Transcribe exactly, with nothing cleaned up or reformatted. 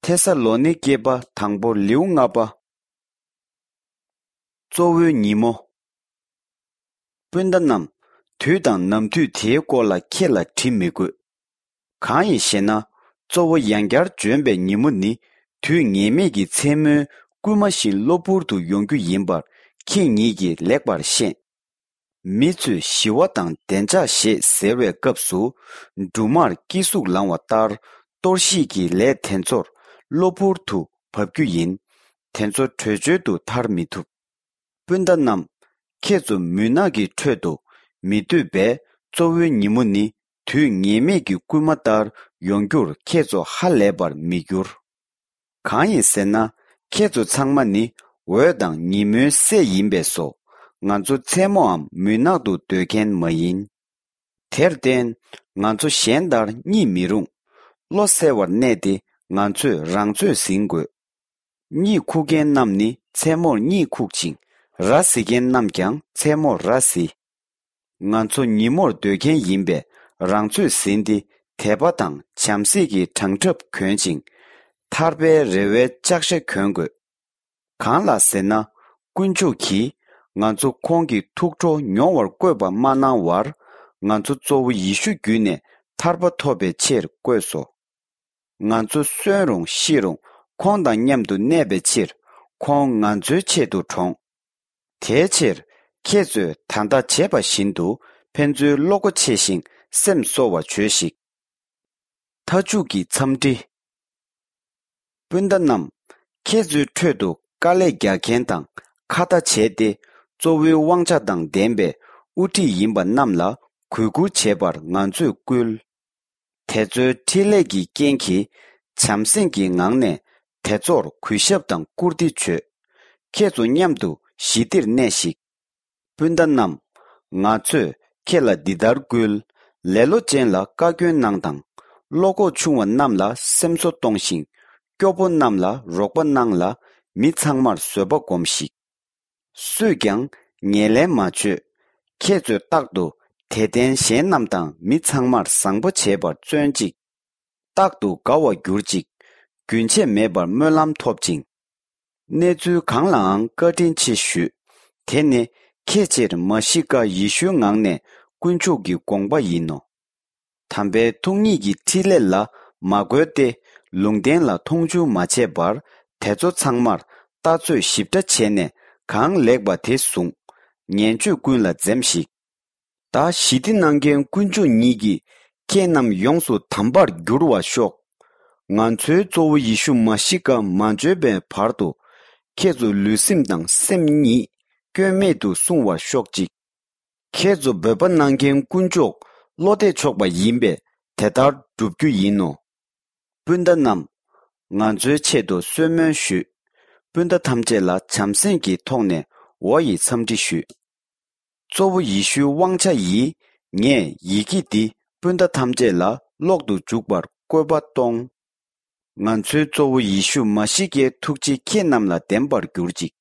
ཐེ་ས་ལོ་ནི་སྐྱེས་པ་དང་པོ་ལེའུ་ལྔ་པ། གཙོ་བོའི་ཉིན་མོ། སྤུན་ཟླ་རྣམས། དུས་དང་ནམ་དུས་དེའི་སྐོར་ལ་ཁྱེད་ལ་བྲི་མི་དགོས། གང་ཡིན་ཞེ་ན། གཙོ་བོ་ཡང་བསྐྱར་འབྱོན་པའི་ཉིན་མོ་ནི་དུས་ངེས་མེད་ཀྱི་མཚན་མོའི་སྐུལ་མ་བཞིན་གློ་བུར་དུ་ཡོང་རྒྱུ་ཡིན་པར་ཁྱེད་ཉིད་ཀྱིས་ལེགས་པར་ཤེས། མི་ཚོས་ཞི་བ་དང་བདེ་འཇགས་ཞེས་ཟེར་བའི་སྐབས་སུ། འབྲུ་མར་སྐྱེ་ཟུག་ལང་བ་ལྟར་གཏོར་བཤིག་གི་ལས་དེ་ཚོར་གློ་བུར་དུ་བབས་རྒྱུ་ཡིན། དེ་ཚོ་བྲོས་བྱོལ་དུ་ཐར་མི་ཐུབ། སྤུན་ཟླ་རྣམས། ཁྱེད་ཚོ་མུན་ནག་གི་ཁྲོད་དུ་མི་སྡོད་པས། གཙོ་བོའི་ཉིན་མོ་ནི་དུས་ངེས་མེད་ཀྱི་སྐུལ་མ་ལྟར་ཡོང་རྒྱུར་ཁྱེད་ཚོ་ཧ་ལས་པར་མི་འགྱུར། གང་ཡིན་ཟེར་ན། ཁྱེད་ཚོ་ཚང་མ་ནི་འོད་དང་ཉིན་མོའི་སྲས་ཡིན་པས་སོ། ང་ཚོ་མཚན་མོའམ་མུན་ནག་ཏུ་སྡོད་མཁན་མ་ཡིན། དེར་བརྟེན། ང་ཚོ་གཞན་ལྟར་གཉིད་མི་རུང་། བློ་གསལ་བར་གནས་ཏེ། ང་ཚོས་རང་ཚོད་ཟིན་དགོས། གཉིད་ཁུག་མཁན་རྣམས་ནི་མཚན་མོར་གཉིད་ཁུག་ཅིང་། ར་བཟི་མཁན་རྣམས་ཀྱང་མཚན་མོར་ར་བཟི། ང་ཚོ་ཉིན་མོར་སྡོད་མཁན་ཡིན་པས། རང་ཚོད་ཟིན་ཏེ། དད་པ་དང་བྱམས་བརྩེ་གི་བྲང་ཁྲབ་གྱོན་ཅིང་། ཐར་པའི་རེ་བའི་ལྕགས་ཞྭ་གྱོན་དགོས། གང་ལགས་ཟེར་ན། དཀོན་མཆོག་གིས་ང་ཚོ་ཁོང་གི་ཐུགས་ཁྲོ་མྱོང་བར་བསྐོས་པ་མ་གནང་བར། ང་ཚོ་གཙོ་བོ་ཡེ་ཤུ་བརྒྱུད་ནས་ཐར་པ་ཐོབ་པའི་ཕྱིར་བསྐོས་སོ། ང་ཚོ་གསོན་རུང་ཤི་རུང་ཁོང་དང་མཉམ་དུ་གནས་པའི་ཕྱིར། ཁོང་ང་ཚོའི་ཆེད་དུ་གྲོངས། དེའི་ཕྱིར། ཁྱེད་ཚོས་ད་ལྟ་བྱེད་པ་བཞིན་དུ་ཕན་ཚུན་བློ་སྒོ་ཕྱེ་ཞིང་སེམས་གསོ་བར་བྱོས་ཤིག། མཐའ་མཇུག་གི་འཚམས་འདྲི། སྤུན་ཟླ་རྣམས། ཁྱེད་ཚོའི་ཁྲོད་དུ་དཀའ་ལས་རྒྱག་མཁན་དང་ཁ་ཏ་བྱས་ཏེ། གཙོ་བོའི་དབང་ཆ་དང་ལྡན་པའི་དབུ་ཁྲིད་ཡིན་པ་རྣམས་ལ་གུས་བཀུར་བྱེད་པར་ང་ཚོས་བསྐུལ། དེ་ཚོའི་འཕྲིན་ལས་ཀྱི་རྐྱེན་གྱིས་བྱམས་སེམས་ཀྱི་ངང་ནས་དེ་ཚོར་གུས་ཞབས་དང་བཀུར་སྟི་བྱོས། ཁྱེད་ཚོ་མཉམ་དུ་ཞི་བདེར་གནས་ཤིག། སྤུན་ཟླ་རྣམས། ང་ཚོས་ཁྱེད་ལ་འདི་ལྟར་བསྐུལ། ལེ་ལོ་ཅན་ལ་བཀའ་བཀྱོན་གནང་དང་། བློ་ཁོག་ཆུང་བ་རྣམས་ལ་སེམས་གསོ་གཏོང་ཞིང་། སྐྱོ་པོ་རྣམས་ལ་རོགས་པ་གནང་ལ། མི་ཚང་མར་བཟོད་པ་སྒོམས་ཤིག། སུས་ཀྱང་ངན་ལན་མ་བྱོས། ཁྱེད་ཚོས་རྟག་ཏུ་དད་ལྡན་གཞན་རྣམས་དང་མི་ཚང་མར་བཟང་པོ་བྱེད་པར་བརྩོན་ཅིག། རྟག་ཏུ་དགའ་བར་གྱུར་ཅིག། རྒྱུན་ཆད་མེད་པར་སྨོན་ལམ་ཐོབ་ཅིང་། གནས་ཚུལ་གང་ལའང་བཀའ་དྲིན་ཆེ་ཞུས། དེ་ནི་ཁྱེད་ཕྱིར་མ་ཤི་ཀ་ཡེ་ཤུའི་ངང་ནས་དཀོན་མཆོག་གི་དགོངས་པ་ཡིན་ནོ། དམ་པའི་ཐུགས་ཉིད་ཀྱི་འཕྲིན་ལས་ལ་མ་རྒོལ་ཏེ། ལུང་བསྟན་ལ་མཐོང་ཆུང་མ་བྱས་པར། དེ་ཚོ་ཚང་མར་ལྟ་ཚོད་ཞིབ་ཕྲ་བྱས་ནས་གང་ལེགས་པ་དེ་བཟུང་། ངན་སྤྱོད་ཀུན་ལ་འཛེམ་ཞིག། ད་ཞི་བདེ་གནང་མཁན་དཀོན་མཆོག་ཉིད་ཀྱིས་ཁྱེད་རྣམས་ཡོངས་སུ་དམ་པར་འགྱུར་བར་ཤོག། ང་ཚོའི་གཙོ་བོ་ཡེ་ཤུ་མ་ཤི་ཀ་མ་འབྱོན་པའི་བར་དུ། ཁྱེད་ཚོ་ལུས་སེམས་དང་སེམས་ཉིད་སྐྱོན་མེད་དུ་སྲུང་བར་ཤོག་ཅིག། ཁྱེད་ཚོ་འབོད་པ་གནང་མཁན་དཀོན་མཆོག་བློ་གཏད་ཆོག་པ་ཡིན་པས་དེ་ལྟར་བསྒྲུབ་རྒྱུ་ཡིན་ནོ། སྤུན་ཟླ་རྣམས། ང་ཚོའི་ཆེད་དུ་གསོལ་སྨོན་ཞུས། སྤུན་ཟླ་ཐམས་ཅད་ལ་བྱམས་སེམས་ཀྱི་ཐོག་ནས་འོ་ཡི་འཚམས་འདྲི་ཞུས། གཙོ་བོ་ཡེ་ཤུའི་དབང་ཆ་ཡིས། ངས་ཡི་གེ་འདི་སྤུན་ཟླ་ཐམས་ཅད་ལ་ཀློག་ཏུ་འཇུག་པར་བཀོད་པ་གཏོང་། ང་ཚོའི་གཙོ་བོ་ཡེ་ཤུ་མ་ཤི་ཀའི་ཐུགས་རྗེ་ཁྱེད་རྣམས་ལ་ལྡན་པར་གྱུར་ཅིག།